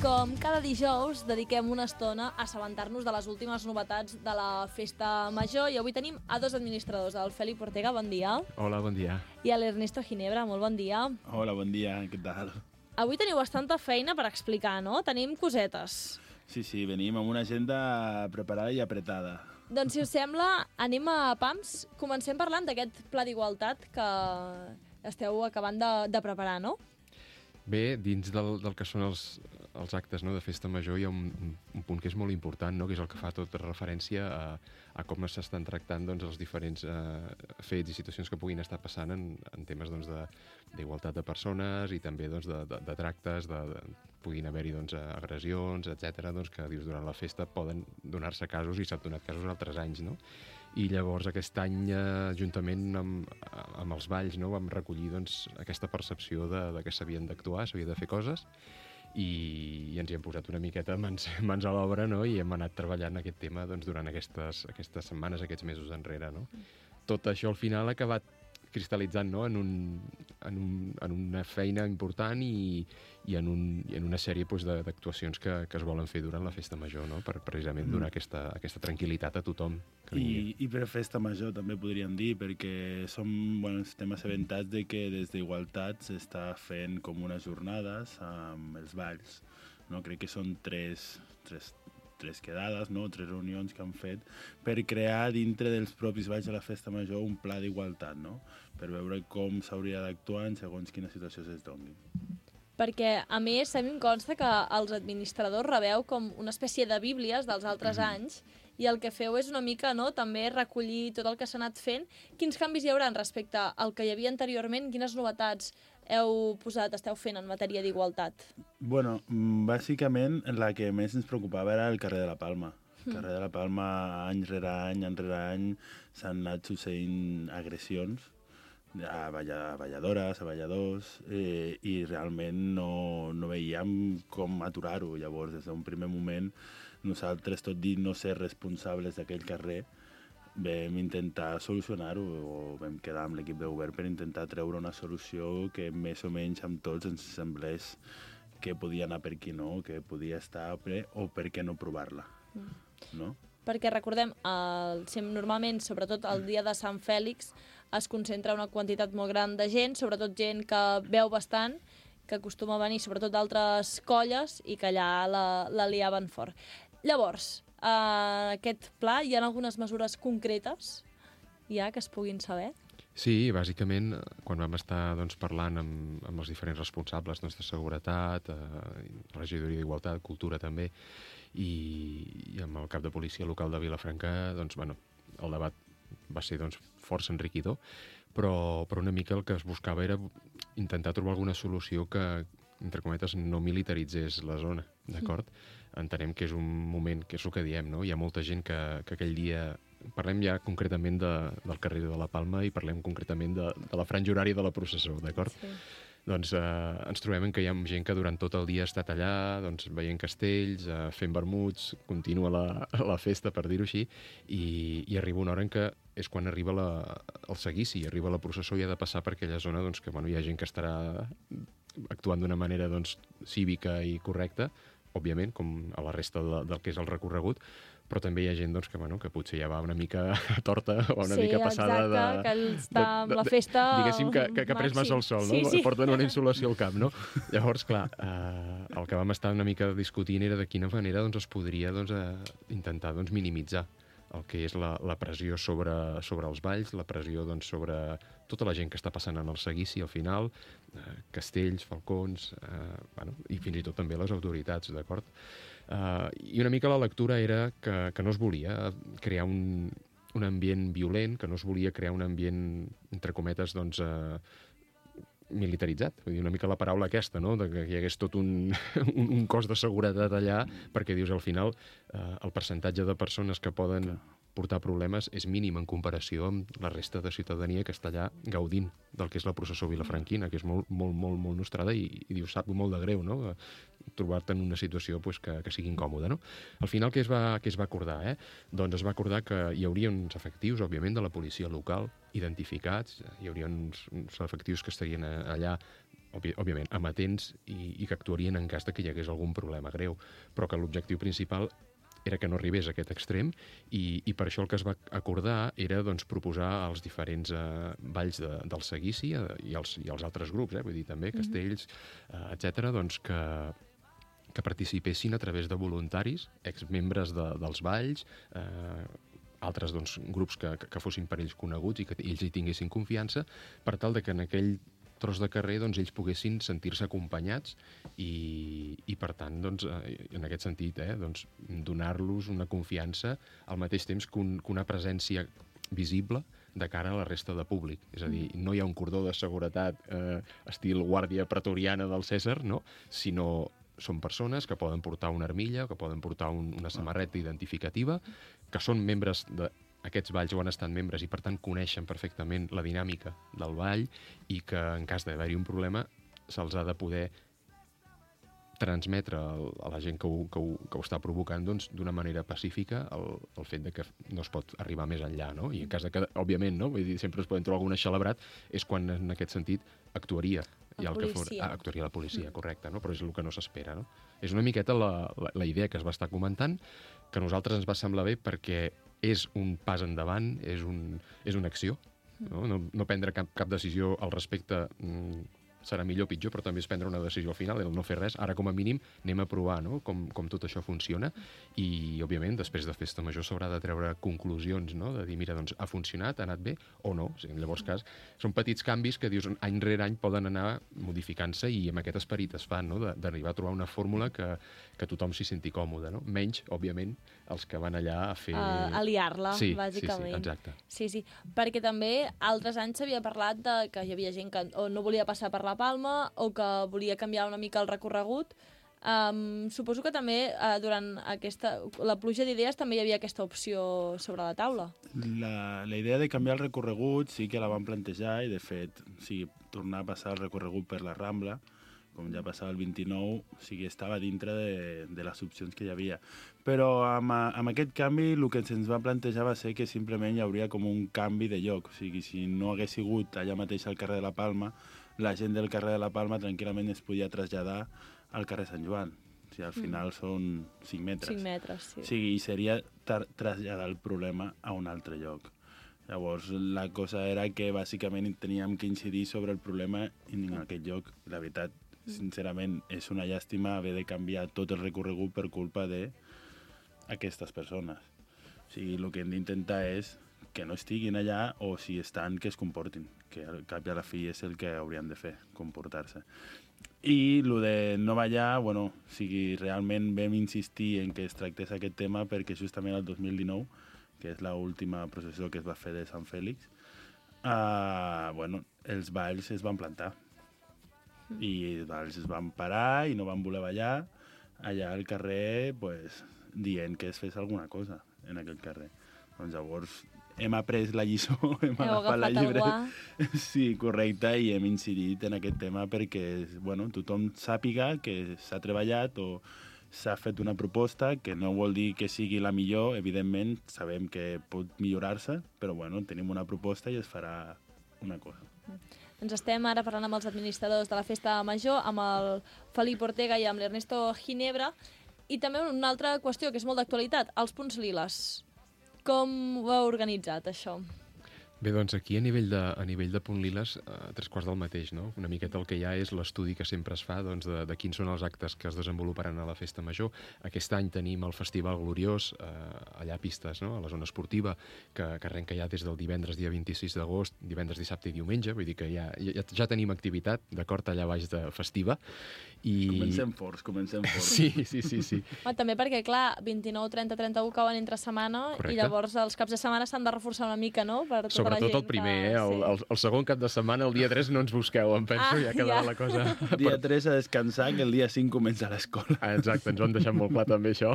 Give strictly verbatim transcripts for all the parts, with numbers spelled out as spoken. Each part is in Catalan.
com cada dijous, dediquem una estona a assabentar-nos de les últimes novetats de la Festa Major i avui tenim a dos administradors, el Fèlix Ortega, bon dia. Hola, bon dia. I l'Ernesto Ginebra, molt bon dia. Hola, bon dia, què tal? Avui teniu bastanta feina per explicar, no? Tenim cosetes. Sí, sí, venim amb una agenda preparada i apretada. Doncs, si us sembla, anem a pams. Comencem parlant d'aquest pla d'igualtat que esteu acabant de, de preparar, no? Bé, dins del, del que són els, els actes, no, de Festa Major hi ha un, un punt que és molt important, no, que és el que fa tota referència a, a com s'estan tractant doncs, els diferents eh, fets i situacions que puguin estar passant en, en temes doncs, de, d'igualtat de persones i també doncs, de, de, de tractes, de, de, puguin haver-hi doncs, agressions, etcètera, doncs, que dius, durant la festa poden donar-se casos i s'han donat casos altres anys, no? I llavors aquest any, eh, juntament amb, amb els balls, no, vam recollir doncs, aquesta percepció de, de que s'havien d'actuar, s'havia de fer coses, i, i ens hi hem posat una miqueta mans, mans a l'obra, no? I hem anat treballant aquest tema doncs, durant aquestes, aquestes setmanes, aquests mesos enrere. No? Tot això al final ha acabat cristal·litzant, no? en, un, en, un, en una feina important i, i, en, un, i en una sèrie doncs, d'actuacions que, que es volen fer durant la Festa Major, no? Per precisament donar mm. aquesta, aquesta tranquil·litat a tothom. I, I per Festa Major també podríem dir, perquè som, bueno, estem assabentats de que des d'Igualtat s'està fent com unes jornades amb els balls. No? Crec que són tres, tres, tres quedades, no? Tres reunions que han fet per crear dintre dels propis balls de la Festa Major un pla d'igualtat, no? Per veure com s'hauria d'actuar en segons quina situació es doni. Perquè, a més, a mi em consta que els administradors rebeu com una espècie de bíblies dels altres mm. anys i el que feu és una mica, no?, també recollir tot el que s'ha anat fent. Quins canvis hi haurà respecte al que hi havia anteriorment? Quines novetats heu posat, esteu fent en matèria d'igualtat? Bueno, bàsicament la que més ens preocupava era el carrer de la Palma. El carrer de la Palma, any rere any, any rere any, s'han anat succeint agressions a balladores, a balladors, eh, i realment no, no veiem com aturar-ho. Llavors, des d'un primer moment, nosaltres, tot dit no ser responsables d'aquell carrer, vam intentar solucionar-ho, o vam quedar amb l'equip de govern per intentar treure una solució que més o menys amb tots ens semblés que podia anar per aquí, no? Que podia estar ple, o per què no provar-la, no? Perquè recordem, el, normalment, sobretot el dia de Sant Fèlix, es concentra una quantitat molt gran de gent, sobretot gent que veu bastant, que acostuma a venir sobretot d'altres colles i que allà la, la liaven fort. Llavors, eh, aquest pla, hi ha algunes mesures concretes ja que es puguin saber? Sí, bàsicament, quan vam estar doncs, parlant amb, amb els diferents responsables doncs, de seguretat, eh, regidoria d'Igualtat, cultura també, i, i amb el cap de policia local de Vilafranca, doncs, bueno, el debat va ser doncs, força enriquidor, però, però una mica el que es buscava era intentar trobar alguna solució que, entre cometes, no militaritzés la zona, d'acord? Mm. Entenem que és un moment, que és el que diem, no? Hi ha molta gent que, que aquell dia... Parlem ja concretament de, del carrer de la Palma i parlem concretament de, de la franja horària de la processó, d'acord? Sí. Doncs eh, ens trobem que hi ha gent que durant tot el dia ha estat allà, doncs, veient castells, eh, fent vermuts, continua la, la festa, per dir-ho així, i, i arriba una hora en què és quan arriba la, el seguici, arriba la processó i ha de passar per aquella zona doncs, que bueno, hi ha gent que estarà actuant d'una manera doncs, cívica i correcta, òbviament, com a la resta de, del que és el recorregut, però també hi ha gent doncs, que, bueno, que potser ja va una mica torta o una sí, mica passada exacte, de... que està amb la festa... Diguéssim que, que, que ha pres massa el sol, no? Sí, sí. Porten una insolació al cap, no? Llavors, clar, eh, el que vam estar una mica discutint era de quina manera doncs, es podria doncs, eh, intentar doncs, minimitzar el que és la, la pressió sobre, sobre els balls, la pressió doncs, sobre tota la gent que està passant en el seguici al final, eh, castells, falcons, eh, bueno, i fins i tot també les autoritats, d'acord? Eh, I una mica la lectura era que, que no es volia crear un, un ambient violent, que no es volia crear un ambient, entre cometes, doncs, eh, militaritzat, vull dir, una mica la paraula aquesta, no?, de que hi hagués tot un, un, un cos de seguretat allà, perquè dius, al final, eh, el percentatge de persones que poden portar problemes és mínim en comparació amb la resta de ciutadania que està allà gaudint del que és la processó vilafranquina, que és molt, molt, molt, molt nostrada i, i dius, sap molt de greu, no?, trobar-te en una situació pues, que, que sigui incòmoda, no? Al final, què es va, què es va acordar, eh? Doncs es va acordar que hi hauria uns efectius, òbviament, de la policia local identificats, hi hauria uns, uns efectius que estarien allà òbvi, òbviament, amatents i, i que actuarien en cas de que hi hagués algun problema greu, però que l'objectiu principal era que no arribés a aquest extrem i, i per això el que es va acordar era doncs, proposar als diferents eh, balls de, del seguici eh, i, els, i els altres grups, eh, vull dir també castells, eh, etcètera, doncs que, que participessin a través de voluntaris, exmembres de, dels balls, eh, altres doncs, grups que, que, que fossin per ells coneguts i que ells hi tinguessin confiança, per tal de que en aquell tros de carrer doncs, ells poguessin sentir-se acompanyats i, i per tant, doncs, eh, en aquest sentit, eh, doncs, donar-los una confiança al mateix temps que, un, que una presència visible de cara a la resta de públic. És a dir, no hi ha un cordó de seguretat eh, estil guàrdia pretoriana del Cèsar, no? Sinó són persones que poden portar una armilla, que poden portar un, una samarreta identificativa, que són membres de aquests balls o han estat membres i, per tant, coneixen perfectament la dinàmica del ball i que, en cas d'haver-hi un problema, se'ls ha de poder transmetre a la gent que ho, que ho, que ho està provocant doncs, d'una manera pacífica el, el fet de que no es pot arribar més enllà, no? I en cas de que, òbviament, no? Vull dir, sempre es poden trobar algun eixelebrat, és quan, en aquest sentit, actuaria. La el que for... policia. ah, actuaria la policia, correcte, no? Però és el que no s'espera, no? És una miqueta la, la, la idea que es va estar comentant, que a nosaltres ens va semblar bé perquè és un pas endavant, és, un, és una acció, no? No, no prendre cap, cap decisió al respecte mm, serà millor o pitjor, però també és prendre una decisió al final, el no fer res. Ara, com a mínim, anem a provar, no? com, com tot això funciona i, òbviament, després de Festa Major s'haurà de treure conclusions, no? De dir, mira, doncs ha funcionat, ha anat bé o no. O sigui, en llavors, cas, són petits canvis que, dius, any rere any poden anar modificant-se i amb aquest esperit es fan, no? D'arribar a trobar una fórmula que, que tothom s'hi senti còmode, no? Menys, òbviament, els que van allà a fer... Uh, a liar-la, sí, bàsicament. Sí, sí, exacte. Sí, sí, perquè també altres anys s'havia parlat de que hi havia gent que o no volia passar per la Palma o que volia canviar una mica el recorregut. Um, suposo que també uh, durant aquesta, la pluja d'idees també hi havia aquesta opció sobre la taula. La, la idea de canviar el recorregut sí que la van plantejar i, de fet, sí, tornar a passar el recorregut per la Rambla, com ja passava el vint-i-nou, o sigui, estava dintre de, de les opcions que hi havia. Però amb, amb aquest canvi el que se'ns va plantejar va ser que simplement hi hauria com un canvi de lloc. O sigui, si no hagués sigut allà mateix al carrer de la Palma, la gent del carrer de la Palma tranquil·lament es podia traslladar al carrer Sant Joan. O sigui, al final mm. són cinc metres. cinc metres, sí. O sigui, i seria traslladar el problema a un altre lloc. Llavors, la cosa era que bàsicament teníem que incidir sobre el problema en aquest lloc. La veritat, sincerament, és una llàstima haver de canviar tot el recorregut per culpa d'aquestes persones. O sigui, el que hem d'intentar és que no estiguin allà o si estan, que es comportin, que al cap i a la fi és el que haurien de fer, comportar-se. I el de no ballar, bueno, o sigui, realment vam insistir en que es tractés aquest tema perquè justament el dos mil dinou, que és l'última processó que es va fer de Sant Fèlix, uh, bueno, els balls es van plantar. I els balls es van parar i no van voler ballar allà al carrer, pues, dient que es fes alguna cosa en aquell carrer. Doncs llavors hem après la lliçó, hem Heu agafat la agafat el llibre. guà. Sí, correcte, i hem incidit en aquest tema perquè, bueno, tothom sàpiga que s'ha treballat o s'ha fet una proposta, que no vol dir que sigui la millor, evidentment, sabem que pot millorar-se, però, bueno, tenim una proposta i es farà una cosa. Ens estem ara parlant amb els administradors de la Festa Major, amb el Felip Ortega i amb l'Ernesto Ginebra, i també una altra qüestió que és molt d'actualitat, els punts liles. Com ho heu organitzat, això? Bé, doncs aquí a nivell de, a nivell de Punt Liles, a tres quarts del mateix, no? Una miqueta el que hi ha és l'estudi que sempre es fa doncs, de, de quins són els actes que es desenvoluparan a la Festa Major. Aquest any tenim el Festival Gloriós, eh, allà a Pistes, no? A la zona esportiva, que, que arrenca ja des del divendres dia vint-i-sis d'agost, divendres, dissabte i diumenge, vull dir que ja, ja, ja tenim activitat, d'acord, allà baix de festiva. I... Comencem forts, comencem forts. Sí, sí, sí. sí. Home, també perquè, clar, vint-i-nou, trenta, trenta-u cauen entre setmana. Correcte. I llavors els caps de setmana s'han de reforçar una mica, no? Per tota Sobretot el primer, eh? El, el, el segon cap de setmana, el dia tres, no ens busqueu, em penso, ah, ja quedarà ja. la cosa... Dia tres a descansar, que el dia cinc comença l'escola. Ah, exacte, ens ho han deixat molt clar també, això.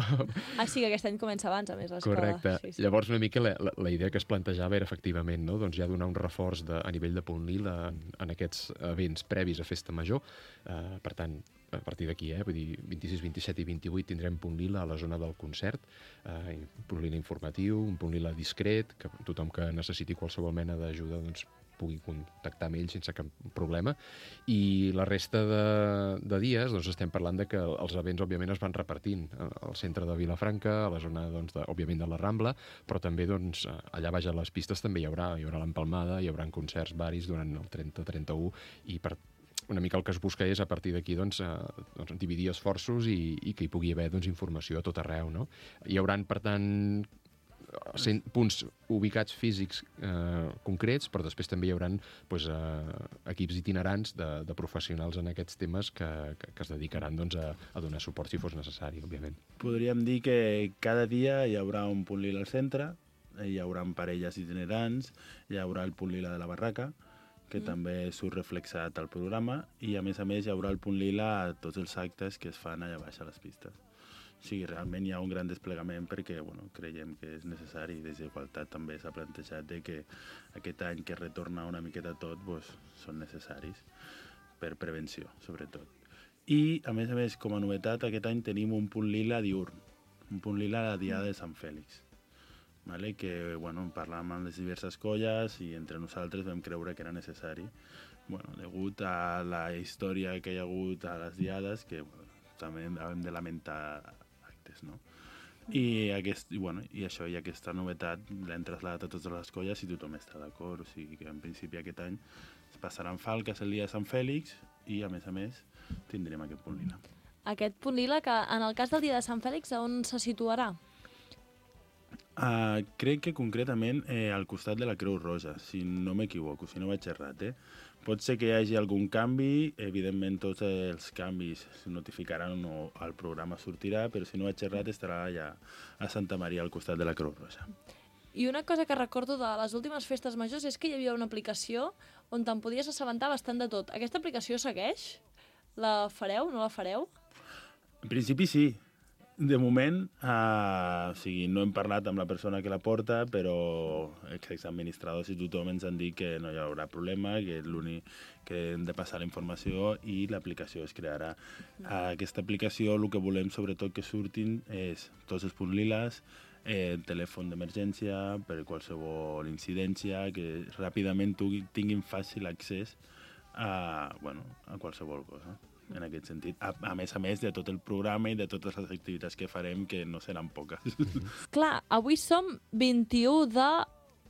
Ah, sí, que aquest any comença abans, a més, l'escola. Correcte. Sí, sí. Llavors, una mica la, la, la idea que es plantejava era, efectivament, no? Doncs ja donar un reforç de, a nivell de Punt Lila en, en aquests events previs a Festa Major. Uh, per tant, a partir d'aquí, eh? Vull dir, vint-i-sis, vint-i-set i vint-i-vuit tindrem Punt Lila a la zona del concert, eh, un Punt Lila informatiu, un Punt Lila discret, que tothom que necessiti qualsevol mena d'ajuda doncs, pugui contactar amb ells sense cap problema. I la resta de, de dies doncs, estem parlant de que els events, òbviament, es van repartint al centre de Vilafranca, a la zona, doncs, de, òbviament, de la Rambla, però també doncs, allà baix a les pistes també hi haurà, hi haurà l'empalmada, hi haurà concerts varis durant el trenta trenta u, i per una mica el que es busca és, a partir d'aquí, doncs, eh, doncs, dividir esforços i, i que hi pugui haver doncs, informació a tot arreu. No? Hi haurà, per tant, cent punts ubicats físics eh, concrets, però després també hi haurà doncs, eh, equips itinerants de, de professionals en aquests temes que, que, que es dedicaran doncs, a, a donar suport si fos necessari, òbviament. Podríem dir que cada dia hi haurà un punt lila al centre, hi haurà parelles itinerants, hi haurà el punt lila de la barraca, que mm. també surt reflexat al programa, i a més a més hi haurà el punt lila a tots els actes que es fan allà baix a les pistes. O sigui, realment hi ha un gran desplegament perquè bueno, creiem que és necessari, i des d'Igualtat també s'ha plantejat de que aquest any que retorna una miqueta tot pues, són necessaris per prevenció, sobretot. I, a més a més, com a novetat, aquest any tenim un punt lila diurn, un punt lila a la Diada de Sant Fèlix. Vale? Que bueno, parlàvem amb les diverses colles i entre nosaltres vam creure que era necessari, bueno, degut a la història que hi ha hagut a les diades, que bueno, també hem de lamentar actes, no? I, aquest, i, bueno, i això i aquesta novetat l'hem traslladat a totes les colles i tothom està d'acord, o sigui que en principi aquest any es passaran falques el dia de Sant Fèlix i a més a més tindrem aquest punt lila. Aquest punt lila que en el cas del dia de Sant Fèlix on se situarà? Uh, crec que concretament eh, al costat de la Creu Roja, si no m'equivoco, si no vaig errat. Eh? Pot ser que hi hagi algun canvi, evidentment tots els canvis es notificaran o el programa sortirà, però si no vaig errat estarà allà a Santa Maria al costat de la Creu Roja. I una cosa que recordo de les últimes festes majors és que hi havia una aplicació on te'n podies assabentar bastant de tot. Aquesta aplicació segueix? La fareu? No la fareu? En principi sí. De moment, uh, o sigui, no hem parlat amb la persona que la porta, però els exadministradors i tothom ens han dit que no hi haurà problema, que l'únic que hem de passar la informació i l'aplicació es crearà. Uh, aquesta aplicació, el que volem sobretot que surtin és tots els punts liles, eh, telèfon d'emergència per qualsevol incidència, que ràpidament tinguin fàcil accés a, bueno, a qualsevol cosa. En aquest sentit, a, a més a més de tot el programa i de totes les activitats que farem, que no seran poques. Clar, avui som vint-i-u de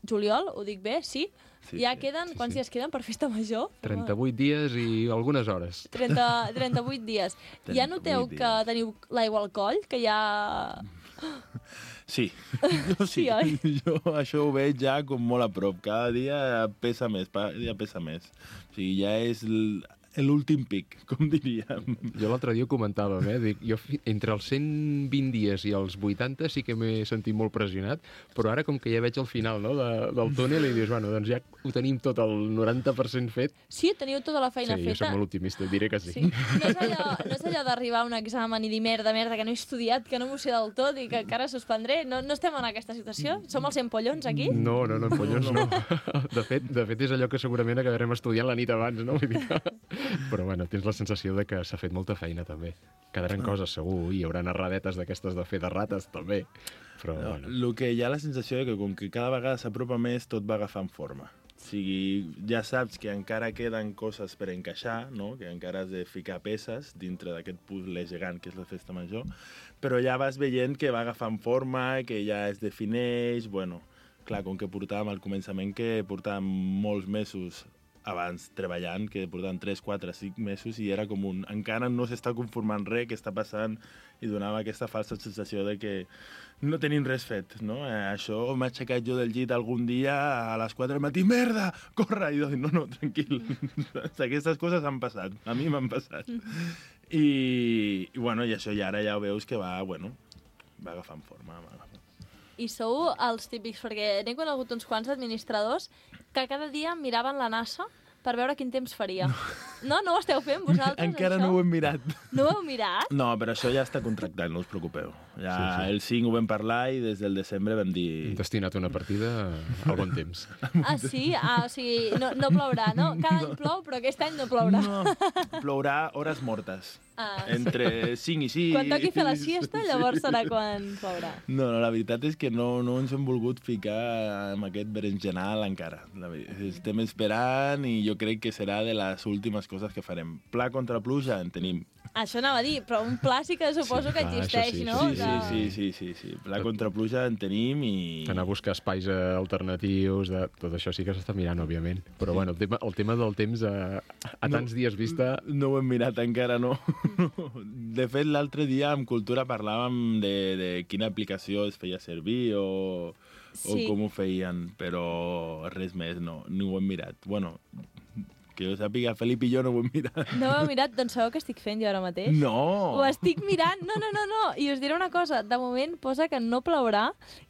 juliol, ho dic bé, sí? Sí, ja sí, queden, sí, quants sí. dies queden per festa major? trenta-vuit dies i algunes hores. trenta, trenta-vuit dies. Ja noteu dies. que teniu l'aigua al coll, que ja... Sí, jo sí. Sí, oi? Jo això ho veig ja com molt a prop. Cada dia pesa més, cada dia pesa més. O sigui, ja és l'últim pic, com diríem. Jo l'altre dia ho comentàvem, eh? Dic, jo entre els cent vint dies i els vuitanta sí que m'he sentit molt pressionat, però ara com que ja veig el final, no, de, del túnel i dius, bueno, doncs ja ho tenim tot el noranta per cent fet. Sí, teniu tota la feina sí, feta. Sí, jo soc molt optimista, diré que sí. sí. No és allò, no és allò d'arribar a un examen i dir merda, merda, que no he estudiat, que no m'ho sé del tot i que encara suspendré. No, no estem en aquesta situació? Som els empollons aquí? No, no, no, empollons no. De fet, de fet és allò que segurament acabarem estudiant la nit abans, no? Vull dir que... Però bueno, tens la sensació de que s'ha fet molta feina també. Quedaran coses segur, i hi haurà narradetes d'aquestes de fer de rates també. Però no, bueno. El que hi ha la sensació que com que cada vegada s'apropa més, tot va agafant forma. O sigui, ja saps que encara queden coses per encaixar, no? Que encara has de ficar peces dintre d'aquest puzzle gegant que és la festa major, però ja vas veient que va agafant forma, que ja es defineix, bueno, clar, com que portàvem al començament que portàvem molts mesos abans treballant, que portaven tres, quatre, cinc mesos i era com un... encara no s'està conformant res que està passant i donava aquesta falsa sensació de que no tenim res fet, no? Eh, això m'ha aixecat jo del llit algun dia a les quatre del matí, merda, corre! I jo dic, no, no, tranquil, aquestes coses han passat, a mi m'han passat. I, i bueno, i això i ara ja ho veus que va, bueno, va agafant forma, va agafant. I sou els típics, perquè n'he conegut uns quants administradors que cada dia miraven la NASA per veure quin temps faria. No, no ho esteu fent vosaltres, Encara això? no ho hem mirat. No ho heu mirat? No, però això ja està contractat, no us preocupeu. Ja Sí, sí. el cinc ho vam parlar i des del desembre vam dir... Hem destinat una partida al bon temps. Ah, sí? Ah, o sigui, no, no plourà, no? Cada any plou, però aquest any no plourà. No, plourà hores mortes. Ah, Entre cinc i sis... quan toqui fer la siesta, llavors serà quan plourà. No, no, la veritat és que no, no ens hem volgut ficar amb aquest berenjenal encara. La ver- Estem esperant i jo crec que serà de les últimes coses que farem. Pla contra pluja en tenim. Això anava a dir, però un pla sí que suposo Sí, que clar, existeix, això sí, no? Sí, Que- sí, sí, sí, sí, sí. Pla contra pluja en tenim i... Anar a buscar espais eh, alternatius, de... tot això sí que s'està mirant, òbviament. Però bueno, el tema, el tema del temps a, a tants dies vista... No ho hem mirat encara, no. De fet, l'altre dia amb Cultura parlàvem de, de quina aplicació es feia servir o, Sí. o com ho feien, però res més, no, no ho hem mirat. Bueno, que jo sàpiga, Felip i jo no ho hem mirat. No ho heu mirat? Doncs sabeu què estic fent jo ara mateix? No! Ho estic mirant. No, no, no, no. I us diré una cosa. De moment posa que no plourà,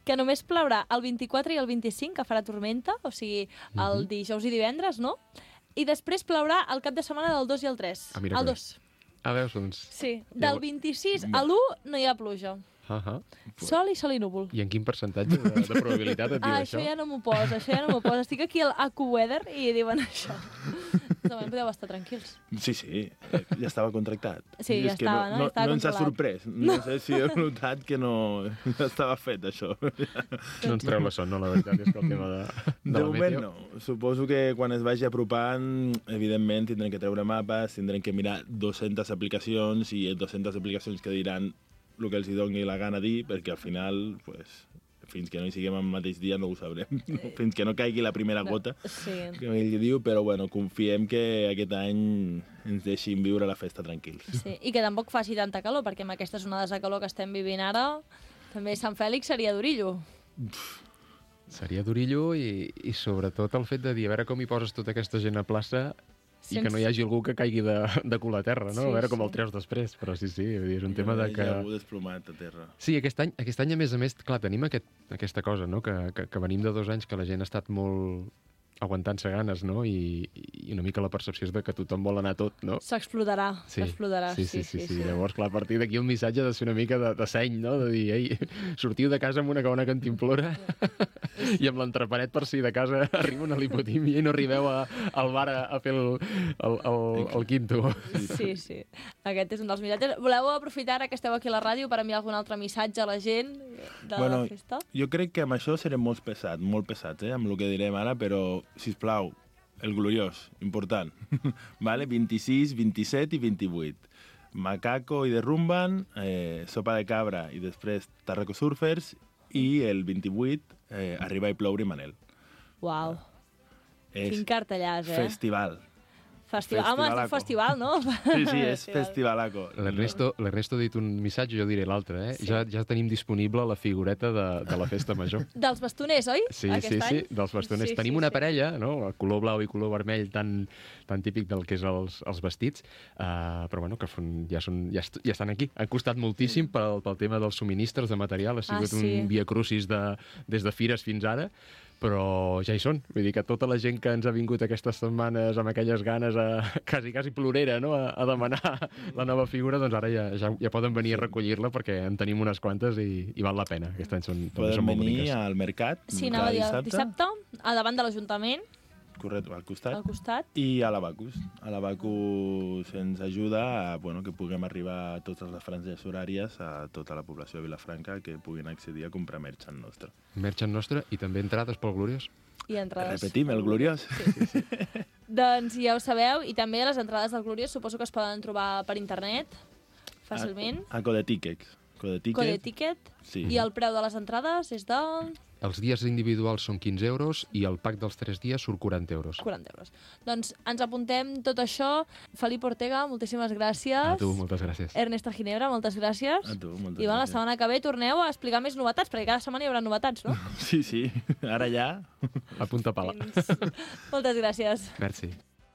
que només plourà el vint-i-quatre i el vint-i-cinc, que farà tormenta, o sigui, el dijous i divendres, no? I després plourà el cap de setmana del dos i el tres. Ah, mira el que bé. dos. Ah, veus, doncs... Sí. Del Llavors- vint-i-sis a l'u no hi ha pluja. Uh -huh. Sol i sol i núvol. I en quin percentatge de, de probabilitat et diu Ah, això? això ja no m'ho posa, això ja no m'ho posa. Estic aquí al AccuWeather i diuen això. De moment podeu estar tranquils. Sí, sí, eh, ja estava contractat. Sí, I ja és que estava, no? no, Ja estava no ens ha controlat. sorprès. No sé si heu notat que no... Ja estava fet, això. No ens treu la son, no? La veritat és que el tema de, de, De la moment meteo... no. Suposo que quan es vagi apropant, evidentment tindrem que treure mapes, tindrem que mirar dues-centes aplicacions i dues-centes aplicacions que diran el que els hi doni la gana dir, perquè al final, pues, fins que no hi siguem el mateix dia no ho sabrem. Fins que no caigui la primera gota, Sí. que ell diu, però bueno, confiem que aquest any ens deixin viure la festa tranquils. Sí, i que tampoc faci tanta calor, perquè amb aquestes onades de calor que estem vivint ara, també Sant Fèlix seria d'orillo. Seria d'orillo i, i sobretot el fet de dir a veure com hi poses tota aquesta gent a plaça i Sense- que no hi hagi algú que caigui de, de cul a terra, no? Sí, a veure com sí. el treus després. Però sí, sí, vull dir, és un tema de que... Ja ho desplomat a terra. Sí, aquest any, aquest any, a més a més, clar, tenim aquest, aquesta cosa, no?, que, que, que venim de dos anys que la gent ha estat molt aguantant-se ganes, no?, I, i una mica la percepció és de que tothom vol anar a tot, no? S'explotarà, Sí, s'explotarà. sí, sí, sí, sí, sí. Llavors, clar, a partir d'aquí el missatge ha de ser una mica de, de seny, no?, de dir, ei, sortiu de casa amb una cabana cantimplora i amb l'entrepanet per si de casa arriba una lipotímia i no arribeu a, al bar a, a fer el, el, el, el quinto. Sí, sí. Aquest és un dels missatges. Voleu aprofitar ara que esteu aquí a la ràdio per enviar algun altre missatge a la gent de Bueno, la festa? jo crec que amb això serem molt pesats, molt pesats, eh, amb el que direm ara, però, sisplau, el gloriós, important. vale? vint-i-sis, vint-i-set i vint-i-vuit. Macaco i Derrumban, eh, Sopa de Cabra i després Tarraco Surfers, i el vint-i-vuit, eh, Arriba i ploure i Manel. Uau, És quin cartellàs, eh? festival. Festival. Home, és un Festivalaco. festival, no? Sí, sí, és festivalaco. L'Ernesto l'Ernesto ha dit un missatge, jo diré l'altre, eh? Sí. Ja, ja tenim disponible la figureta de, de la festa major. Dels bastoners, oi? Sí, Aquest sí, sí, any? dels bastoners. Sí, Tenim sí, una sí. parella, no?, el color blau i color vermell tan, tan típic del que és els, els vestits, uh, però bueno, que fon, ja, són, ja, est ja estan aquí. Han costat moltíssim pel, pel tema dels subministres de material, ha sigut Ah, sí. un via crucis de, des de fires fins ara, però ja hi són. Vull dir que tota la gent que ens ha vingut aquestes setmanes amb aquelles ganes a, quasi, quasi plorera, no?, a, a demanar la nova figura, doncs ara ja, ja, ja poden venir a recollir-la perquè en tenim unes quantes i, i val la pena. Aquest any són, també Poden són molt venir boniques. al mercat, Sí, cada anava a dir el dissabte, a davant de l'Ajuntament, correcte, al costat, al costat. i a l'Abacus. A l'Abacus ens ajuda a bueno, que puguem arribar a totes les franges horàries a tota la població de Vilafranca que puguin accedir a comprar merchant nostre. Merchant nostre i també entrades pel Gloriós. I entrades. Repetim, el gloriós. Doncs ja ho sabeu, i també les entrades del Gloriós suposo que es poden trobar per internet, fàcilment. A, a Codetickets. Codeticket. Codeticket. Sí. I el preu de les entrades és de Els dies individuals són quinze euros i el pack dels tres dies surt quaranta euros. quaranta euros. Doncs ens apuntem tot això. Felip Ortega, moltíssimes gràcies. A tu, moltes gràcies. Ernesta Ginebra, moltes gràcies. A tu, moltes I bueno, la gràcies. setmana que ve torneu a explicar més novetats, perquè cada setmana hi haurà novetats, no? Sí, sí. Ara ja. A punta pala. Fins... Moltes gràcies. Merci.